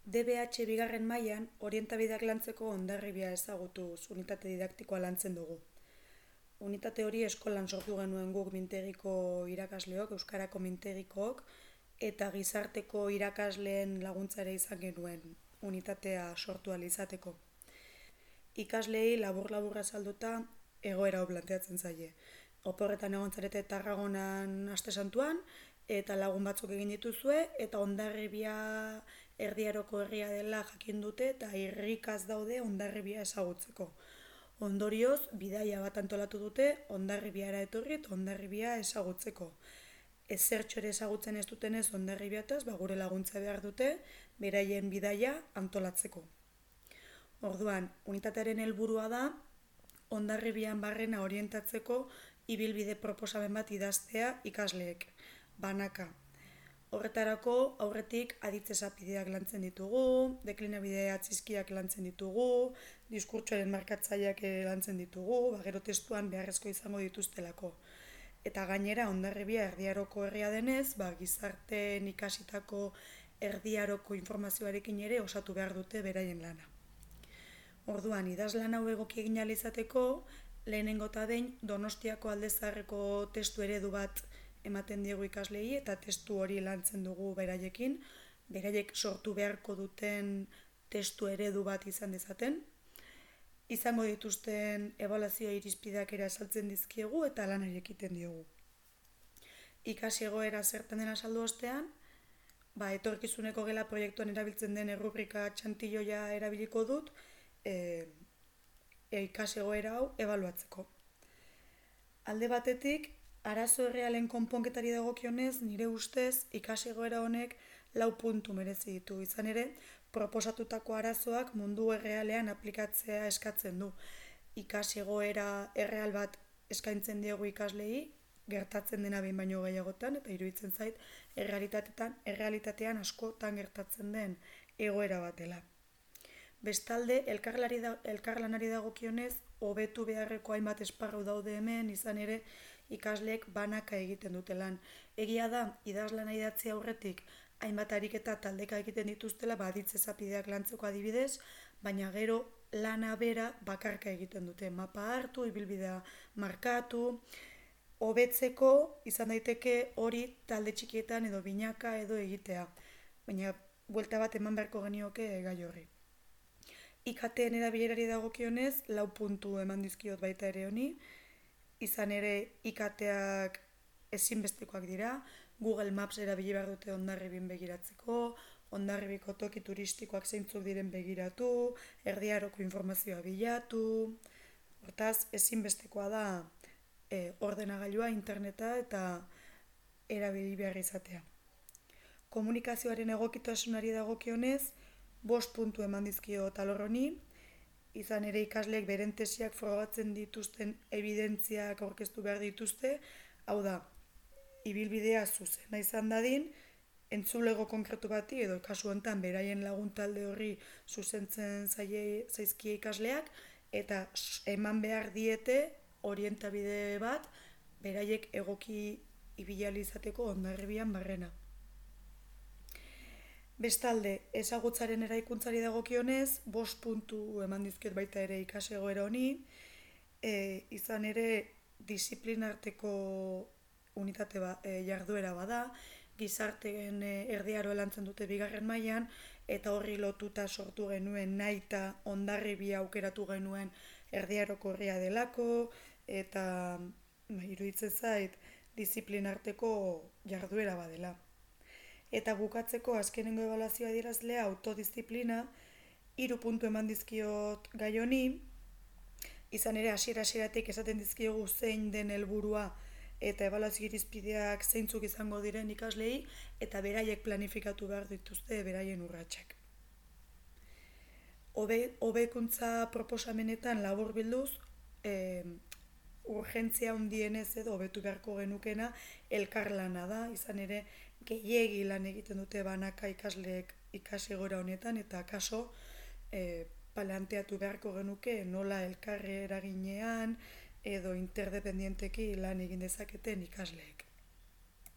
DBH bigarren mailan orientabideak lantzeko hondarribia ezagutuz unitate didaktikoa lantzen dugu. Unitate hori eskolan sortu genuen guk mintegiko irakasleok, euskarako mintegikook, eta gizarteko irakasleen laguntzare izan genuen unitatea sortu ahal izateko. Ikasleei labur-labur azalduta egoera hau planteatzen zaie. Oporretan egon zarete Tarragonan aste santuan, eta lagun batzuk egin dituzue, eta Hondarribia erdiaroko herria dela jakin dute, eta irrikaz daude Hondarribia ezagutzeko. Ondorioz, bidaia bat antolatu dute, Hondarribiara etorri eta Hondarribia ezagutzeko. Ezertxo ere ezagutzen ez dutenez Hondarribiataz, gure laguntza behar dute, beraien bidaia antolatzeko. Orduan, unitatearen helburua da, Hondarribian barrena orientatzeko ibilbide proposamen bat idaztea ikasleek, banaka. Horretarako, aurretik aditz esapideak lantzen ditugu, deklinabide atzizkiak lantzen ditugu, diskurtsoaren markatzaileak lantzen ditugu, gero testuan beharrezko izango dituztelako. Eta gainera, Hondarribia erdiaroko herria denez, gizarteen ikasitako erdiaroko informazioarekin ere osatu behar dute beraien lana. Orduan, idazlan hau egoki egin ahal izateko, lehenengo eta behin Donostiako Alde Zaharreko testu eredu bat ematen diegu ikaslei eta testu hori lantzen dugu beraiekin, beraiek sortu beharko duten testu eredu bat izan dezaten. Izango dituzten ebaluazio irizpideak ere azaltzen dizkiegu eta lanari ekiten diogu. Ikasi egoera zertan den azaldu ostean, etorkizuneko gela proiektuan erabiltzen den errubrika txantilloia erabiliko dut, ikasi egoera hau ebaluatzeko. Alde batetik, arazo errealen konponketari dagokionez, nire ustez, ikasi egoera honek 4 puntu merezi ditu. Izan ere, proposatutako arazoak mundu errealean aplikatzea eskatzen du. Ikasi egoera erreal bat eskaintzen diegu ikaslei, gertatzen dena behin baino gehiagotan, eta iruditzen zait, errealitatean askotan gertatzen den egoera bat dela. Bestalde, elkarlanari dagokionez, hobetu beharreko hainbat esparru daude hemen, izan ere ikasleek banaka egiten dute lan. Egia da, idazlana idatzi aurretik, hainbat ariketa taldeka egiten dituztela, aditz esapideak lantzeko adibidez, baina gero lana bera bakarka egiten dute. Mapa hartu, ibilbidea markatu, hobetzeko izan daiteke hori talde txikietan edo binaka edo egitea. Baina, buelta bat eman beharko genioke gai horri. IKT-en erabilerari dagokionez, 4 puntu eman dizkiot baita ere honi, izan ere IKT-ak ezinbestekoak dira, Google Maps erabili behar dute Hondarribin begiratzeko, Hondarribiko toki turistikoak zeintzuk diren begiratu, erdiaroko informazioa bilatu, hortaz ezinbestekoa da ordenagailua, interneta eta erabili behar izatea. Komunikazioaren egokitasunari dagokionez, 5 puntu eman dizkio alor honi, izan ere ikasleek beren tesiak frogatzen dituzten evidentziak aurkeztu behar dituzte, hau da, ibilbidea zuzena izan dadin, entzulego konkretu bati edo kasu honetan beraien lagun talde horri zuzentzen zaizkie ikasleak, eta eman behar diete orientabide bat beraiek egoki ibili izateko Hondarribian barrena. Bestalde, ezagutzaren eraikuntzari dagokionez, 5 puntu eman dizkiot baita ere ikasi egoera honi, izan ere disiplinarteko unitate jarduera bada, gizarteen erdiaro lantzen dute bigarren mailan, eta horri lotuta sortu genuen nahita Hondarribia aukeratu genuen erdiaroko herria delako, eta iruditzen zait disiplinarteko jarduera badela. Eta bukatzeko azkenengo ebaluazioa adierazlea autodisziplina, 3 puntu eman dizkiot gai honi, izan ere hasiera-hasieratik esaten dizkiogu zein den helburua eta ebaluazio irizpideak zeintzuk izango diren ikaslei, eta beraiek planifikatu behar dituzte beraien urratsak. Hobekuntza proposamenetan laburbilduz, urgentzia handienez edo hobetu beharko genukena elkarlana da, izan ere gehiegi lan egiten dute banaka ikasleek ikasi egoera honetan, eta kaso planteatu beharko genuke nola elkarri eraginean edo interdependienteki lan egin dezaketen ikasleek.